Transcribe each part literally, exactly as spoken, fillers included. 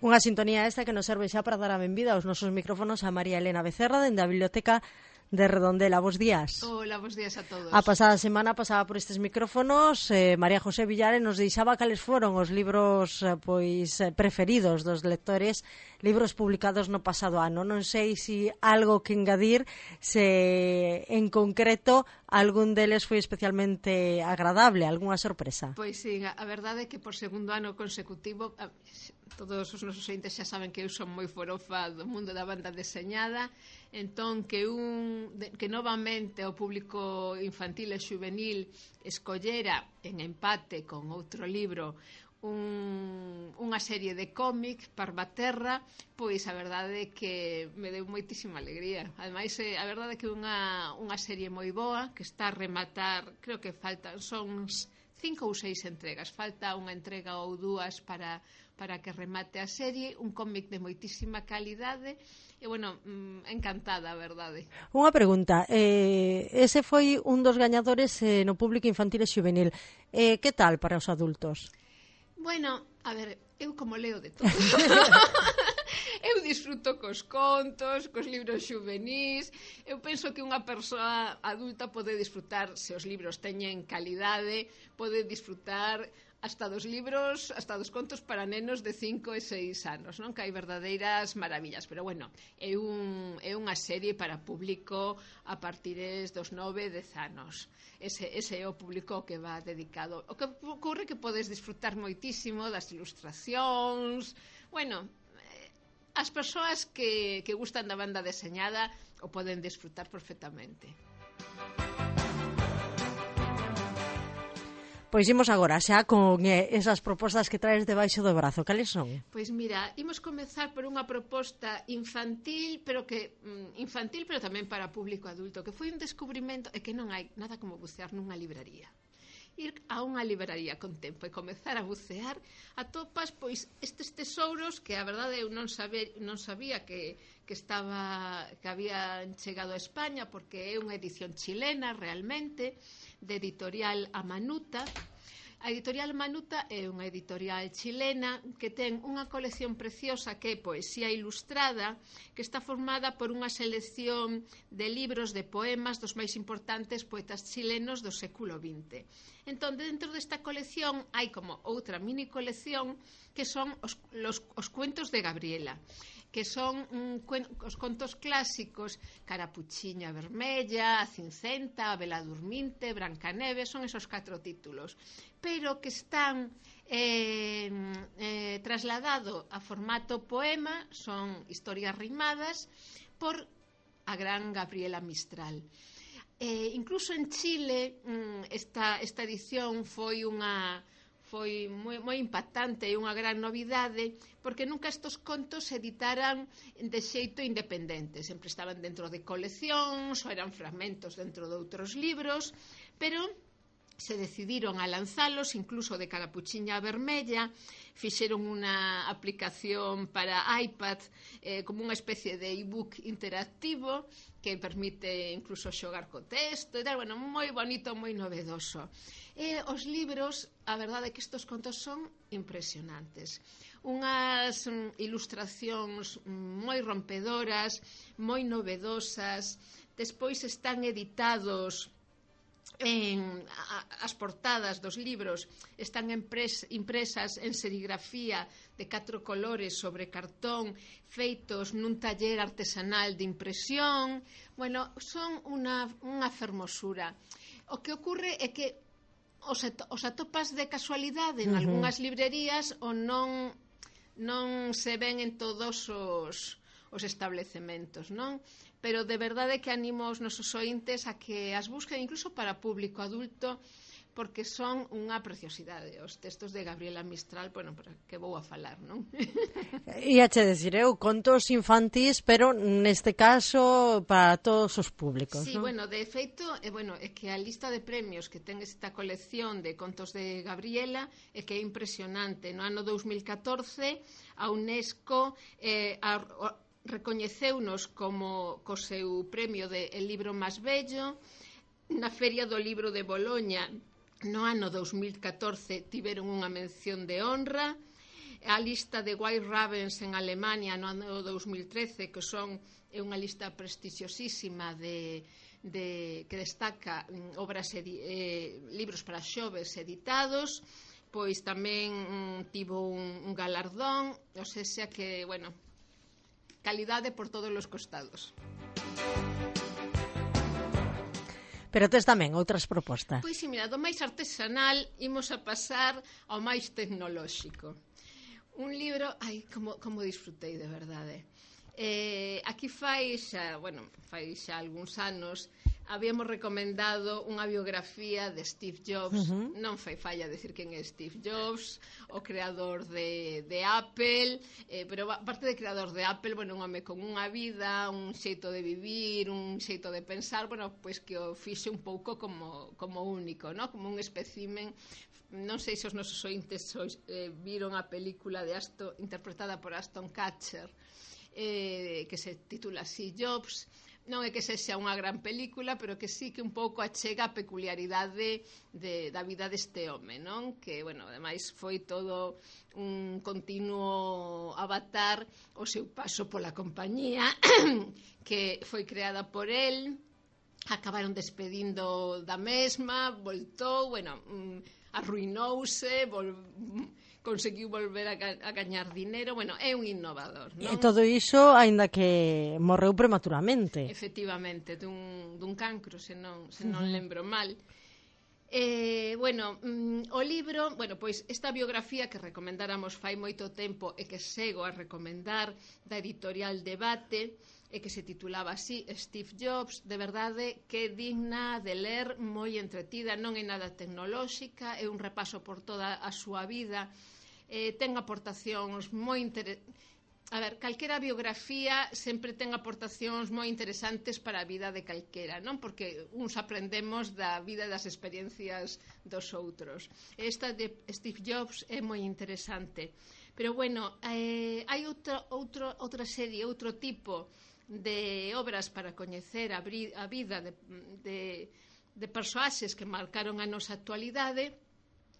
Unha sintonía esta que nos serve xa para dar a benvida aos nosos micrófonos a María Elena Becerra dende a Biblioteca de Redondela. Bos días. Hola, bos días a todos. A pasada semana pasaba por estes micrófonos eh, María José Villares nos deixaba cales foron os libros eh, pois eh, preferidos dos lectores, libros publicados no pasado ano. Non sei se algo que engadir, se en concreto algún deles foi especialmente agradable, algunha sorpresa. Pois sí, a verdade é que por segundo ano consecutivo a, todos os nosos ointes xa saben que eu son moi forofa do mundo da banda deseñada, entón que un que novamente o público infantil e juvenil escollera en empate con outro libro un, unha serie de cómic, Parvaterra, pois a verdade é que me deu moitísima alegría. Ademais, a verdade é que unha, unha serie moi boa que está a rematar, creo que faltan, son cinco ou seis entregas, falta unha entrega ou dúas para, para que remate a serie, un cómic de moitísima calidade. E, bueno, encantada, a verdade. Unha pregunta, eh, ese foi un dos gañadores eh, no público infantil e juvenil. Eh, que tal para os adultos? Bueno, a ver, eu como leo de todo. Eu disfruto cos contos, cos libros xuvenís. Eu penso que unha persoa adulta pode disfrutar, se os libros teñen calidade, pode disfrutar hasta dos libros, hasta dos contos para nenos de cinco e seis anos, non? Que hai verdadeiras maravillas, pero bueno, é, un, é unha serie para público a partir dos nove e dez anos. Ese, ese é o público que va dedicado. O que ocorre que podes disfrutar moitísimo das ilustracións, bueno, as persoas que, que gustan da banda deseñada o poden disfrutar perfectamente. Pois imos agora xa con eh, esas propostas que traes debaixo do brazo. Cales son? Pois mira, imos comezar por unha proposta infantil, pero que mm, infantil, pero tamén para público adulto, que foi un descubrimento e que non hai nada como bucear nunha libraría. Ir a unha libraría con tempo e comezar a bucear, atopas pois estes tesouros que a verdade eu non saber, non sabía que, que estaba que habían chegado a España, porque é unha edición chilena realmente, de editorial Amanuta. A editorial Manuta é unha editorial chilena que ten unha colección preciosa que é poesía ilustrada, que está formada por unha selección de libros de poemas dos máis importantes poetas chilenos do século vinte. Entón, dentro desta colección hai como outra mini colección que son os, los, os cuentos de Gabriela, que son um, cuen, os contos clásicos, Carapuchiña Vermella, A Cincenta, A Vela Durminte, Brancaneves, son esos catro títulos, pero que están eh, eh, trasladado a formato poema, son historias rimadas por a gran Gabriela Mistral. Eh, incluso en Chile esta, esta edición foi unha foi moi, moi impactante e unha gran novidade, porque nunca estos contos se editaran de xeito independente, sempre estaban dentro de coleccións ou eran fragmentos dentro de outros libros, pero se decidiron a lanzalos, incluso de Carapuchiña Vermella, fixeron unha aplicación para iPad eh, como unha especie de e-book interactivo que permite incluso xogar co texto e tal, bueno, moi bonito, moi novedoso. E os libros, a verdade é que estes contos son impresionantes. Unhas um, ilustracións moi rompedoras, moi novedosas, despois están editados en, a, as portadas dos libros están impres, impresas en serigrafía de catro colores sobre cartón feitos nun taller artesanal de impresión. Bueno, son unha, unha fermosura. O que ocorre é que os, os atopas de casualidade en uh-huh. algunhas librerías ou non, non se ven en todos os, os establecementos, non? Pero de verdade que animo aos nosos ointes a que as busquen incluso para público adulto, porque son unha preciosidade. Os textos de Gabriela Mistral, bueno, para que vou a falar, non? E a che decir, eu contos infantís, pero neste caso para todos os públicos, sí, non? Bueno, de feito, eh, bueno, é que a lista de premios que ten esta colección de contos de Gabriela é que é impresionante. No ano dous mil catorce, a UNESCO eh, a, a, recoñeceunos como co seu premio de El libro máis bello. Na Feria do Libro de Boloña no ano dous mil catorce tiveron unha mención de honra. a lista de White Ravens en Alemania no ano dous mil trece, que son é unha lista prestixiosísima de, de que destaca obras edi, eh, libros para xoves editados, pois tamén mm, tivo un, un galardón, o sea que, bueno, calidade por todos os costados. Pero tes tamén outras propostas. Pois si, mira, do máis artesanal imos a pasar ao máis tecnolóxico. Un libro, ai, como, como disfrutei de verdade. Eh, aquí fai xa, bueno, fai xa algúns anos, habíamos recomendado unha biografía de Steve Jobs. Uh-huh. Non fai falla decir quen é Steve Jobs, o creador de, de Apple, eh, pero aparte de creador de Apple, bueno, un home con unha vida, un xeito de vivir, un xeito de pensar, bueno, pois que o fixe un pouco como, como único, ¿no? Como un espécimen. Non sei se os nosos ointes eh, viron a película de Aston, interpretada por Aston Kutcher, eh, que se titula así, Jobs. Non é que sexa unha gran película, pero que sí que un pouco achega a peculiaridade de, da vida deste home, non? Que, bueno, ademais foi todo un continuo avatar o seu paso pola compañía, que foi creada por el, acabaron despedindo da mesma, voltou, bueno, arruinouse, vol... conseguiu volver a, ga a gañar dinero, bueno, é un innovador, non? E todo iso, aínda que morreu prematuramente. Efectivamente, dun, dun cancro, se non, se non lembro mal. Eh, bueno, mm, o libro, bueno, pois esta biografía que recomendáramos fai moito tempo e que sego a recomendar, da editorial Debate, e que se titulaba así, Steve Jobs, de verdade que é digna de ler, moi entretida, non é nada tecnolóxica, é un repaso por toda a súa vida, eh, ten aportacións moi interesantes. A ver, calquera biografía sempre ten aportacións moi interesantes para a vida de calquera, non? Porque uns aprendemos da vida e das experiencias dos outros. Esta de Steve Jobs é moi interesante. Pero, bueno, eh, hai outro, outro, outra serie, outro tipo de obras para coñecer a, a vida de, de, de persoaxes que marcaron a nosa actualidade,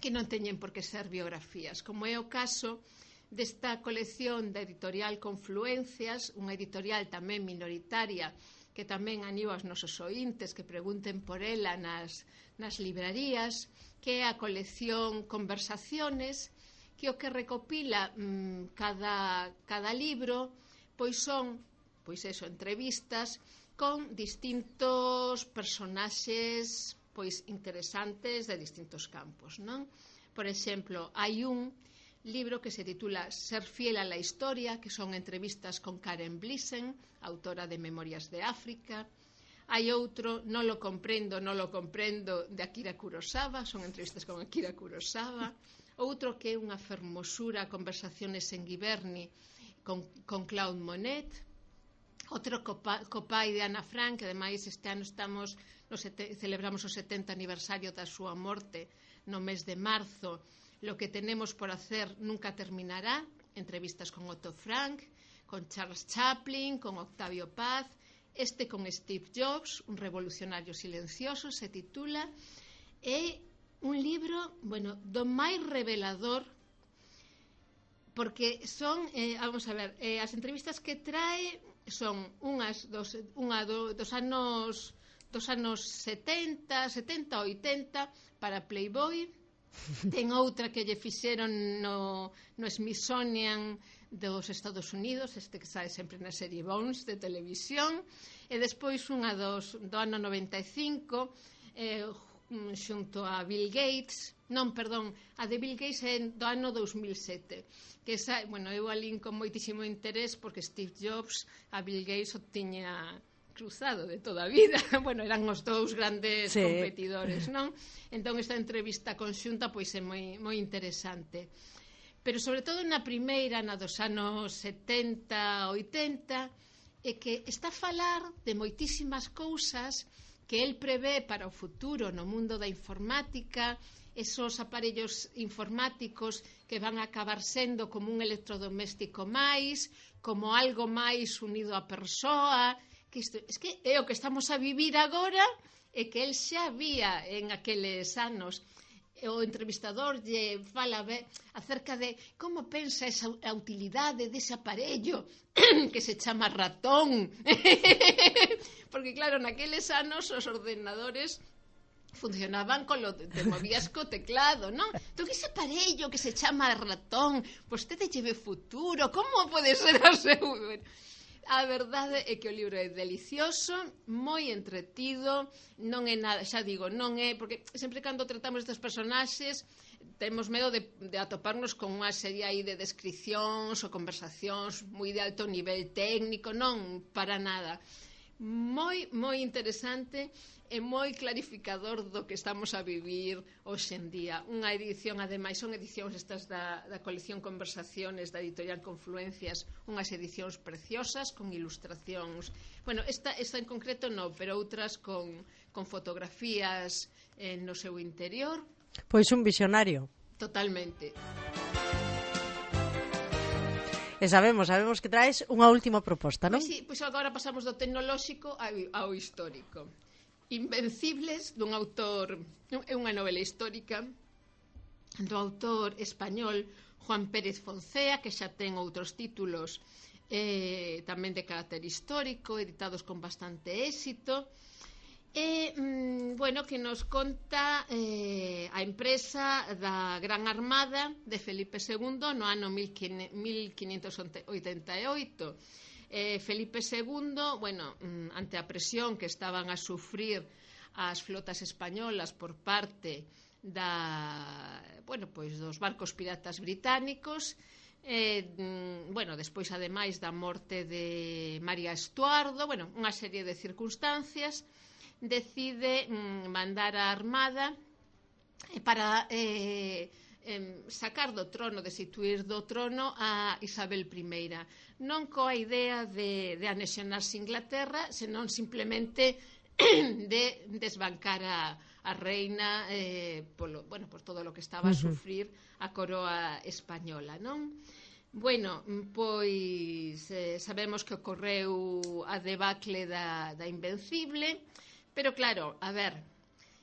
que non teñen por que ser biografías, como é o caso desta colección da editorial Confluencias, unha editorial tamén minoritaria, que tamén animo aos nosos ointes que pregunten por ela nas, nas librarías, que é a colección Conversaciones, que o que recopila mmm, cada, cada libro, pois son, pois eso, entrevistas con distintos personaxes pois interesantes de distintos campos, non? Por exemplo, hai un libro que se titula Ser fiel a la historia, que son entrevistas con Karen Blixen, autora de Memorias de África. Hai outro, Non lo comprendo, non lo comprendo, de Akira Kurosawa, son entrevistas con Akira Kurosawa. Outro que é unha fermosura, Conversaciones en Giverny, con, con Claude Monet. Outro copa, copai de Ana Frank, que ademais este ano estamos no sete, celebramos o setenta aniversario da súa morte no mes de marzo. Lo que tenemos por hacer nunca terminará, entrevistas con Otto Frank, con Charles Chaplin, con Octavio Paz. Este con Steve Jobs, un revolucionario silencioso, se titula. É un libro, bueno, do máis revelador, porque son, eh, vamos a ver, eh, as entrevistas que trae son unhas dos, unha do, dos anos dos anos setenta, setenta, oitenta para Playboy. Ten outra que lle fixeron no, no Smithsonian dos Estados Unidos, este que sae sempre na serie Bones de televisión, e despois unha dos, do ano noventa e cinco, eh, xunto a Bill Gates, non, perdón, a de Bill Gates é do ano dous mil sete, que sae, bueno, eu alín con moitísimo interés porque Steve Jobs a Bill Gates o tiña cruzado de toda a vida. Bueno, eran os dous grandes sí. competidores, non? Entón esta entrevista conxunta pois é moi, moi interesante. Pero sobre todo na primeira, na dos anos setenta, oitenta, é que está a falar de moitísimas cousas que el prevé para o futuro no mundo da informática, esos aparellos informáticos que van a acabar sendo como un electrodoméstico máis, como algo máis unido á persoa, que isto, es que é o que estamos a vivir agora e que el xa vía en aqueles anos. o entrevistador lle fala acerca de como pensa esa a utilidade dese aparello que se chama ratón. Porque claro, naqueles anos os ordenadores funcionaban con lo te movías co teclado, non? Entón, ese aparello que se chama ratón, vostede lleve futuro, como pode ser o seu... A verdade é que o libro é delicioso, moi entretido, non é nada, xa digo, non é, porque sempre cando tratamos destes personaxes temos medo de, de atoparnos con unha serie aí de descripcións ou conversacións moi de alto nivel técnico, non, para nada. Moi, moi interesante e moi clarificador do que estamos a vivir hoxe en día. Unha edición, ademais, son edicións estas da, da colección Conversaciones da editorial Confluencias, unhas edicións preciosas con ilustracións. Bueno, esta, esta en concreto non, pero outras con, con fotografías eh, no seu interior. Pois un visionario. Totalmente. E sabemos, sabemos que traes unha última proposta, non? Pois sí, pois agora pasamos do tecnolóxico ao histórico. Invencibles, dun autor, é unha novela histórica do autor español Juan Pérez Foncea, que xa ten outros títulos eh, tamén de carácter histórico, editados con bastante éxito. E, mm, bueno, que nos conta eh, a empresa da Gran Armada de Felipe segundo no ano mil quinhentos oitenta e oito. Eh, Felipe segundo, bueno, mm, ante a presión que estaban a sufrir as flotas españolas por parte da, bueno, pois dos barcos piratas británicos, eh, mm, bueno, despois ademais da morte de María Estuardo, bueno, unha serie de circunstancias, decide mm, mandar a armada eh, para eh, eh, sacar do trono, destituir do trono a Isabel I, non coa idea de, de anexionarse Inglaterra, senón simplemente de desbancar a, a reina eh, polo, bueno, por todo o que estaba a sufrir a coroa española, non? Bueno, pois eh, sabemos que ocorreu a debacle da, da Invencible. Pero claro, a ver,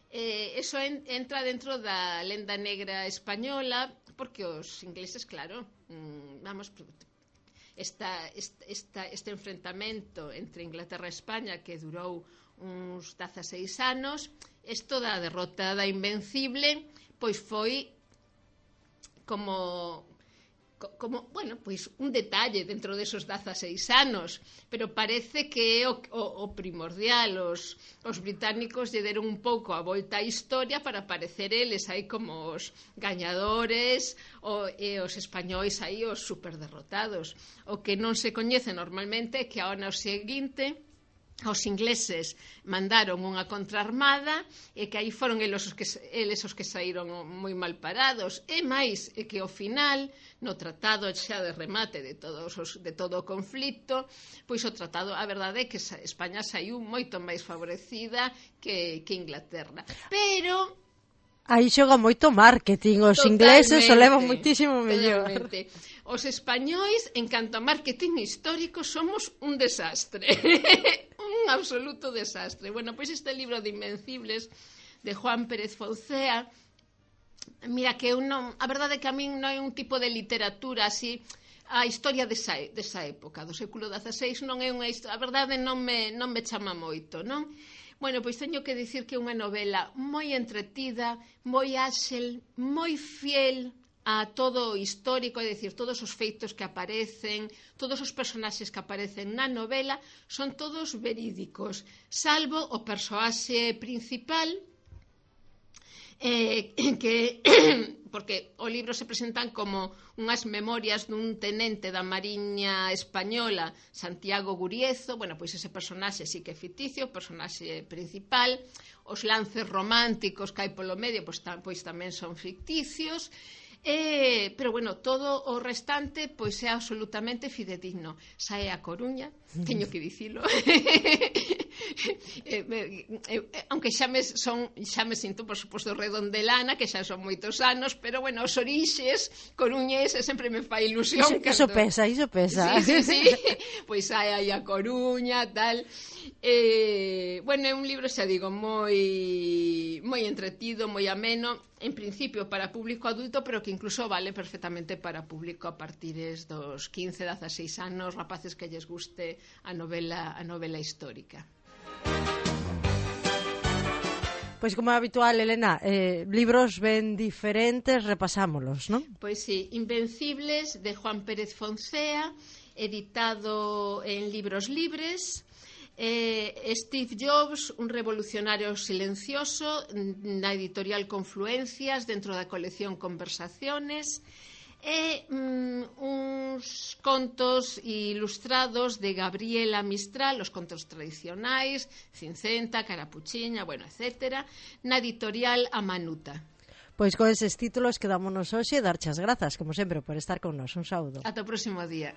eh, eso en, entra dentro da lenda negra española, porque os ingleses, claro, mm, vamos, esta, esta, este enfrentamento entre Inglaterra e España que durou uns dezaseis anos, isto da derrota da Invencible, pois foi como... como, bueno, pois un detalle dentro desos dezaseis anos, pero parece que é o, o, o primordial. Os, os británicos lle deron un pouco a volta á historia para aparecer eles aí como os gañadores o, e os españois aí os superderrotados. O que non se coñece normalmente é que ao ano seguinte os ingleses mandaron unha contraarmada e que aí foron eles os que, eles os que saíron moi mal parados, e máis é que ao final, no tratado xa de remate de, todos os, de todo o conflito, pois o tratado, a verdade é que España saiu moito máis favorecida que, que Inglaterra, pero aí xoga moito marketing, os ingleses o levan moitísimo mellor. Totalmente. Os españois, en canto a marketing histórico, somos un desastre. Un absoluto desastre. Bueno, pois este libro de Invencibles de Juan Pérez Foncea, mira que eu non, a verdade é que a min non é un tipo de literatura así, a historia desa, desa época, do século dezaseis, non é unha historia, a verdade non me, non me chama moito, non? Bueno, pois teño que dicir que é unha novela moi entretida, moi áxil, moi fiel a todo o histórico, é dicir, todos os feitos que aparecen, todos os personaxes que aparecen na novela son todos verídicos, salvo o persoaxe principal, eh, que porque o libro se presentan como unhas memorias dun tenente da Mariña Española, Santiago Guriezo. Bueno, pois ese personaxe sí que é ficticio, o personaxe principal, os lances románticos que hai polo medio pois, tam, pois tamén son ficticios. Eh, pero bueno, todo o restante pois é absolutamente fidedigno. Sae a Coruña, teño que dicilo. eh, eh, aunque xa me, son, xa me sinto, por suposto, redondelana, que xa son moitos anos, pero, bueno, os orixes coruñés sempre me fai ilusión. Iso, iso pesa, iso pesa. Sí, sí, sí. Pois hai aí a Coruña, tal. Eh, bueno, é un libro, xa digo, moi moi entretido, moi ameno, en principio para público adulto, pero que incluso vale perfectamente para público a partir dos quince, dezaseis anos, rapaces que lles guste a novela, a novela histórica. Pois como é habitual, Elena, eh, libros ben diferentes, repasámolos, non? Pois sí, Invencibles, de Juan Pérez Foncea, editado en Libros Libres. eh, Steve Jobs, un revolucionario silencioso, na editorial Confluencias, dentro da colección Conversaciones. E mm, uns contos ilustrados de Gabriela Mistral, os contos tradicionais, Cincenta, Carapuchiña, bueno, etcétera, na editorial Amanuta. Pois con eses títulos quedámonos hoxe e darche as grazas, como sempre, por estar con nós. Un saúdo. Ata o próximo día.